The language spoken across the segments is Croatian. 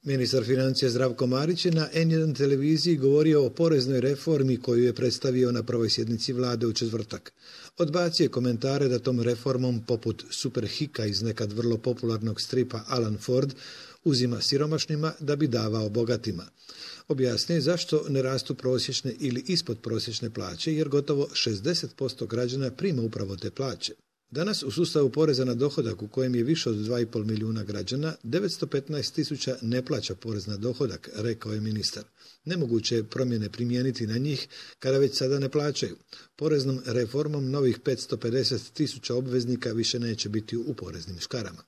Ministar financija Zdravko Marić je na N1 televiziji govorio o poreznoj reformi koju je predstavio na prvoj sjednici vlade u četvrtak. Odbacio je komentare da tom reformom, poput Superhika iz nekad vrlo popularnog stripa Alan Ford, uzima siromašnima da bi davao bogatima. Objasnio je zašto ne rastu prosječne ili ispod prosječne plaće, jer gotovo 60% građana prima upravo te plaće. Danas u sustavu poreza na dohodak u kojem je više od 2,5 milijuna građana, 915.000 ne plaća porez na dohodak, rekao je ministar. Nemoguće je promjene primijeniti na njih kada već sada ne plaćaju. Poreznom reformom novih 550.000 obveznika više neće biti u poreznim škarama.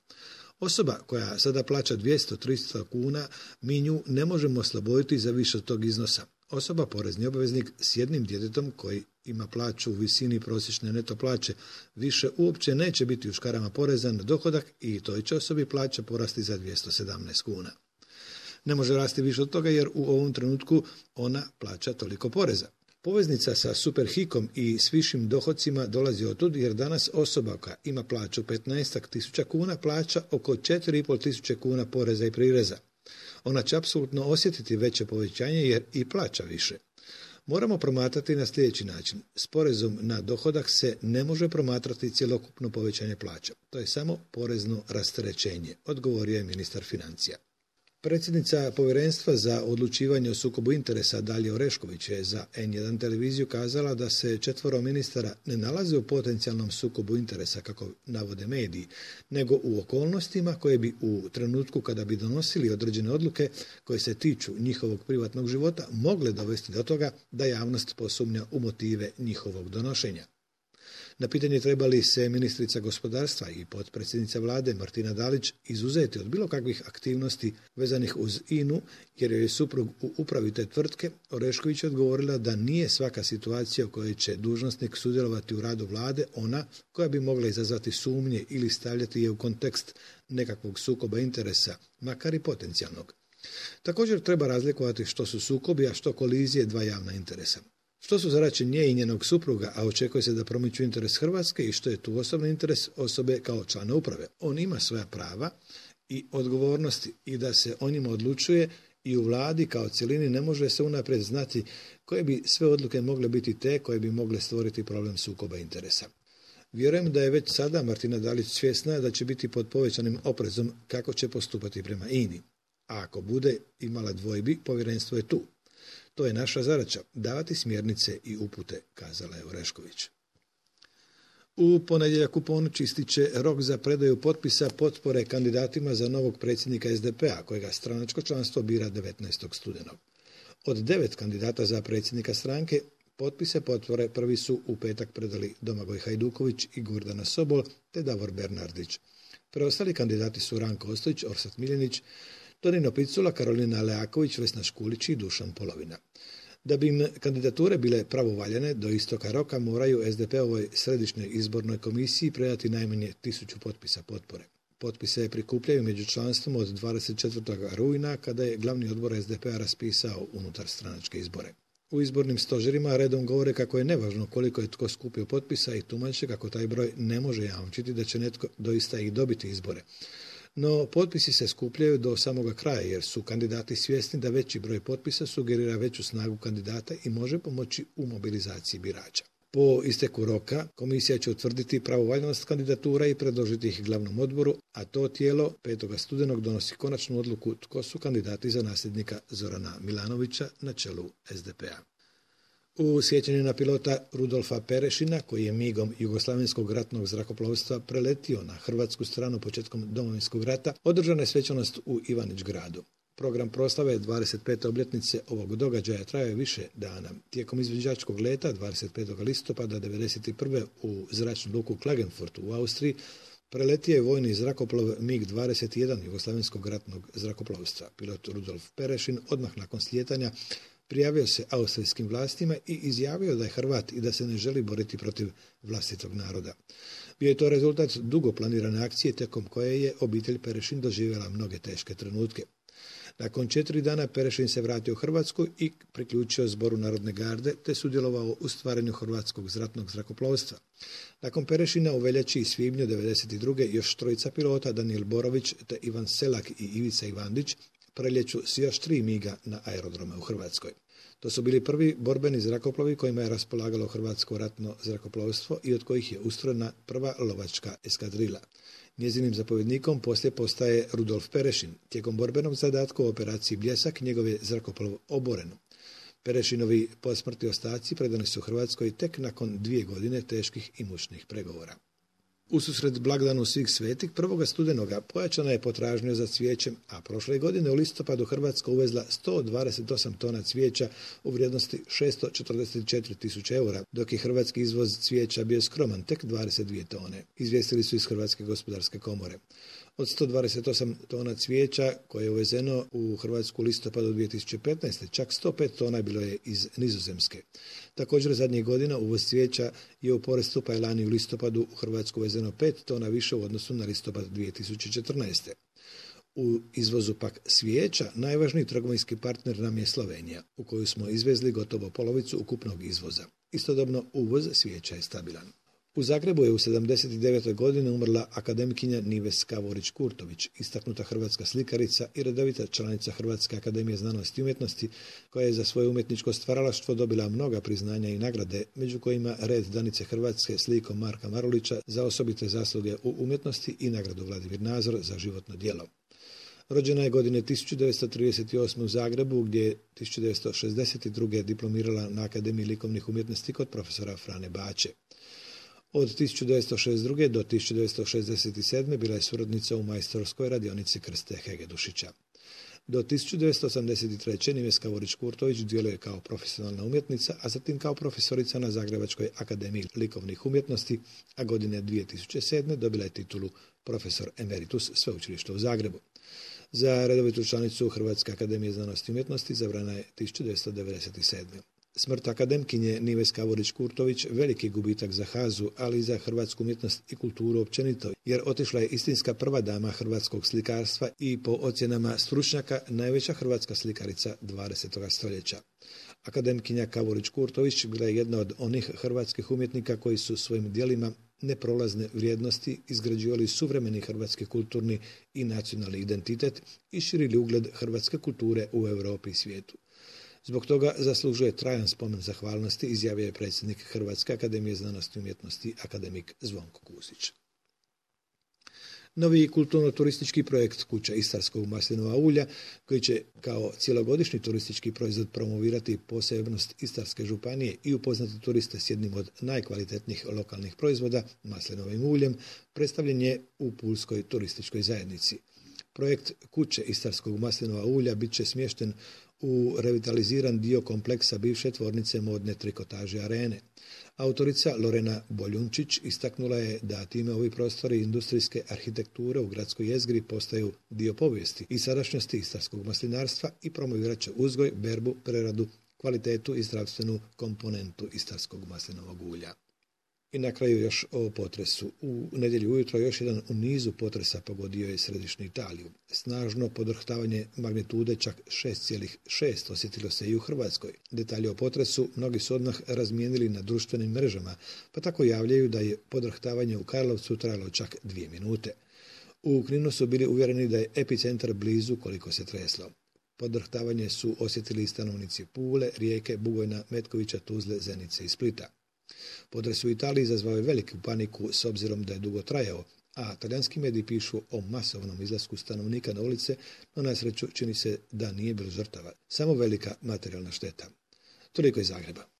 Osoba koja sada plaća 200-300 kuna, mi nju ne možemo osloboditi za više od tog iznosa. Osoba, porezni obveznik s jednim djetetom koji ima plaću u visini prosječne neto plaće, više uopće neće biti u škarama poreza na dohodak i toj će osobi plaća porasti za 217 kuna. Ne može rasti više od toga jer u ovom trenutku ona plaća toliko poreza. Poveznica sa Superhikom i s višim dohodcima dolazi otud jer danas osoba koja ima plaću 15.000 kuna plaća oko 4.500 kuna poreza i prireza. Ona će apsolutno osjetiti veće povećanje jer i plaća više. Moramo promatrati na sljedeći način. S porezom na dohodak se ne može promatrati cjelokupno povećanje plaća. To je samo porezno rasterećenje, odgovorio je ministar financija. Predsjednica Povjerenstva za odlučivanje o sukobu interesa Dalija Orešković je za N1 televiziju kazala da se 4 ministara ne nalaze u potencijalnom sukobu interesa, kako navode mediji, nego u okolnostima koje bi u trenutku kada bi donosili određene odluke koje se tiču njihovog privatnog života mogle dovesti do toga da javnost posumnja u motive njihovog donošenja. Na pitanje treba li se ministrica gospodarstva i potpredsjednica vlade Martina Dalić izuzeti od bilo kakvih aktivnosti vezanih uz INA-u jer joj je suprug u upravi te tvrtke, Orešković je odgovorila da nije svaka situacija u kojoj će dužnosnik sudjelovati u radu vlade ona koja bi mogla izazvati sumnje ili stavljati je u kontekst nekakvog sukoba interesa, makar i potencijalnog. Također treba razlikovati što su sukobi, a što kolizije dva javna interesa. Što su zadaće nje i njenog supruga, a očekuje se da promiču interes Hrvatske i što je tu osobni interes osobe kao člana uprave. On ima svoja prava i odgovornosti i da se o njima odlučuje i u vladi kao cjelini ne može se unaprijed znati koje bi sve odluke mogle biti te koje bi mogle stvoriti problem sukoba interesa. Vjerujem da je već sada Martina Dalić svjesna da će biti pod povećanim oprezom kako će postupati prema INA-i. A ako bude imala dvojbi, povjerenstvo je tu. To je naša zadaća, davati smjernice i upute, kazala je Orešković. U ponedjeljak u ponoć ističe rok za predaju potpisa potpore kandidatima za novog predsjednika SDP-a, kojega stranačko članstvo bira 19. studenog. Od 9 kandidata za predsjednika stranke, potpise potpore prvi su u petak predali Domagoj Hajduković i Gordana Sobol te Davor Bernardić. Preostali kandidati su Ranko Ostojić, Orsat Miljenić, Tonino Picula, Karolina Leaković, Vesna Škulić i Dušan Polovina. Da bi im kandidature bile pravovaljane, do istoka roka moraju SDP-ovoj središnjoj izbornoj komisiji predati najmanje 1000 potpisa potpore. Potpise prikupljaju među članstvom od 24. rujna, kada je glavni odbor SDP-a raspisao unutar stranačke izbore. U izbornim stožerima redom govore kako je nevažno koliko je tko skupio potpisa i tumače kako taj broj ne može jamčiti da će netko doista i dobiti izbore. No, potpisi se skupljaju do samoga kraja jer su kandidati svjesni da veći broj potpisa sugerira veću snagu kandidata i može pomoći u mobilizaciji birača. Po isteku roka, komisija će utvrditi pravovaljnost kandidatura i predložiti ih glavnom odboru, a to tijelo 5. studenog donosi konačnu odluku tko su kandidati za nasljednika Zorana Milanovića na čelu SDP-a. U sjećanju na pilota Rudolfa Perešina, koji je migom Jugoslavenskog ratnog zrakoplovstva preletio na hrvatsku stranu početkom Domovinskog rata, održana je svečanost u Ivanić Gradu. Program proslave 25. obljetnice ovog događaja trajao je više dana. Tijekom izviđačkog leta 25. listopada 1991. u zračnu luku Klagenfurt u Austriji preletio je vojni zrakoplov MiG-21 Jugoslavenskog ratnog zrakoplovstva. Pilot Rudolf Perešin odmah nakon slijetanja prijavio se austrijskim vlastima i izjavio da je Hrvat i da se ne želi boriti protiv vlastitog naroda. Bio je to rezultat dugo planirane akcije tijekom koje je obitelj Perešin doživjela mnoge teške trenutke. Nakon 4 dana Perešin se vratio u Hrvatsku i priključio Zboru Narodne garde te sudjelovao u stvaranju hrvatskog ratnog zrakoplovstva. Nakon Perešina u veljači i svibnju 1992. još trojica pilota Danijel Borović te Ivan Selak i Ivica Ivandić preljeću s još 3 miga na aerodrome u Hrvatskoj. To su bili prvi borbeni zrakoplovi kojima je raspolagalo hrvatsko ratno zrakoplovstvo i od kojih je ustrojena prva lovačka eskadrila. Njezinim zapovjednikom poslije postaje Rudolf Perešin. Tijekom borbenog zadatka u operaciji Bljesak njegov je zrakoplov oboren. Perešinovi posmrtni ostaci predani su Hrvatskoj tek nakon 2 godine teških i mučnih pregovora. Ususret blagdanu svih svetih 1. studenoga pojačana je potražnja za cvijećem, a prošle godine u listopadu Hrvatska uvezla 128 tona cvijeća u vrijednosti 644.000 eura, dok je hrvatski izvoz cvijeća bio skroman, tek 22 tone, izvijestili su iz Hrvatske gospodarske komore. Od 128 tona cvijeća koje je uvezeno u Hrvatsku listopadu 2015. čak 105 tona bilo je iz Nizozemske. Također zadnjih godina uvoz cvijeća je u porastu, pa je lani u listopadu u Hrvatsku uvezeno 5 tona više u odnosu na listopad 2014. U izvozu pak cvijeća najvažniji trgovinski partner nam je Slovenija, u koju smo izvezli gotovo polovicu ukupnog izvoza. Istodobno uvoz cvijeća je stabilan. U Zagrebu je u 79. godini umrla akademkinja Nives Kavorić-Kurtović, istaknuta hrvatska slikarica i redovita članica Hrvatske akademije znanosti i umjetnosti, koja je za svoje umjetničko stvaralaštvo dobila mnoga priznanja i nagrade, među kojima red Danice Hrvatske s likom Marka Marulića za osobite zasluge u umjetnosti i nagradu Vladimir Nazor za životno djelo. Rođena je godine 1938. u Zagrebu, gdje je 1962. diplomirala na Akademiji likovnih umjetnosti kod profesora Frane Baće. Od 1962. do 1967. bila je suradnica u majstorskoj radionici Krste Hegedušića. Do 1983. Nives Kavorić-Kurtović djeluje kao profesionalna umjetnica, a zatim kao profesorica na Zagrebačkoj akademiji likovnih umjetnosti, a godine 2007. dobila je titulu profesor emeritus Sveučilišta u Zagrebu. Za redovitu članicu Hrvatske akademije znanosti i umjetnosti izabrana je 1997. Smrt akademkinje Nives Kavorić-Kurtović veliki gubitak za HAZU, ali i za hrvatsku umjetnost i kulturu općenito, jer otišla je istinska prva dama hrvatskog slikarstva i po ocjenama stručnjaka najveća hrvatska slikarica 20. stoljeća. Akademkinja Kavorić-Kurtović bila je jedna od onih hrvatskih umjetnika koji su svojim djelima neprolazne vrijednosti izgrađivali suvremeni hrvatski kulturni i nacionalni identitet i širili ugled hrvatske kulture u Europi i svijetu. Zbog toga zaslužuje trajan spomen zahvalnosti, izjavio je predsjednik Hrvatske akademije znanosti i umjetnosti akademik Zvonko Kusić. Novi kulturno-turistički projekt Kuća istarskog maslinova ulja, koji će kao cjelogodišnji turistički proizvod promovirati posebnost Istarske županije i upoznati turiste s jednim od najkvalitetnijih lokalnih proizvoda, maslinovim uljem, predstavljen je u Pulskoj turističkoj zajednici. Projekt Kuće istarskog maslinova ulja bit će smješten u revitaliziran dio kompleksa bivše tvornice modne trikotaže Arene. Autorica Lorena Boljunčić istaknula je da time ovi prostori industrijske arhitekture u gradskoj jezgri postaju dio povijesti i sadašnjosti istarskog maslinarstva i promovirat će uzgoj, berbu, preradu, kvalitetu i zdravstvenu komponentu istarskog maslinovog ulja. I na kraju još o potresu. U nedjelju ujutro još jedan u nizu potresa pogodio je središnju Italiju. Snažno podrhtavanje magnitude čak 6,6 osjetilo se i u Hrvatskoj. Detalje o potresu mnogi su odmah razmijenili na društvenim mrežama, pa tako javljaju da je podrhtavanje u Karlovcu trajalo čak 2 minute. U Kninu su bili uvjereni da je epicentar blizu koliko se treslo. Podrhtavanje su osjetili i stanovnici Pule, Rijeke, Bugojna, Metkovića, Tuzle, Zenice i Splita. Potres u Italiji izazvao je veliku paniku s obzirom da je dugo trajao, a talijanski mediji pišu o masovnom izlasku stanovnika na ulice, no na sreću čini se da nije bilo žrtava, samo velika materijalna šteta. Toliko iz Zagreba.